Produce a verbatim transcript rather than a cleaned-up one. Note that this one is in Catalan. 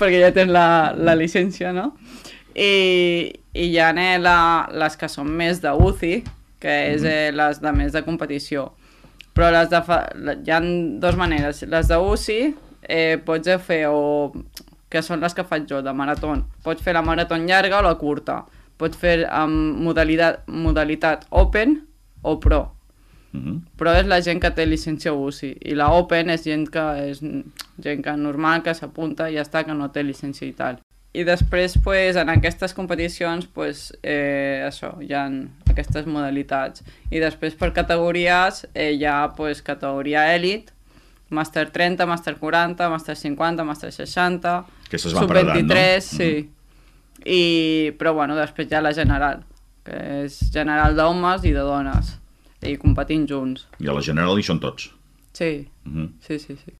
perquè ja tens la, la llicència, no? I, i hi ha eh, la, les que són més de U C I, que és eh, les de més de competició. Però les de fa, hi ha dues maneres. Les de U C I eh, pots fer, o, que són les que faig jo, de marató. Pots fer la marató llarga o la curta. Pots fer amb modalitat, modalitat Open o Pro. Mm-hmm. Pro és la gent que té llicència U C I i la Open és gent que és gent que normal, que s'apunta i ja està, que no té llicència i tal. I després, pues, en aquestes competicions, pues, eh, això, hi ha aquestes modalitats. I després, per categories, eh, hi ha pues, categoria Elite, Màster trenta, Màster quaranta, Màster cinquanta, Màster seixanta, Sub vint-i-tres, no? Sí. Mm-hmm. I, però, bueno, després hi ha la general, que és general d'homes i de dones, i competint junts. I a la general hi són tots? Sí, mm-hmm. sí, sí, sí.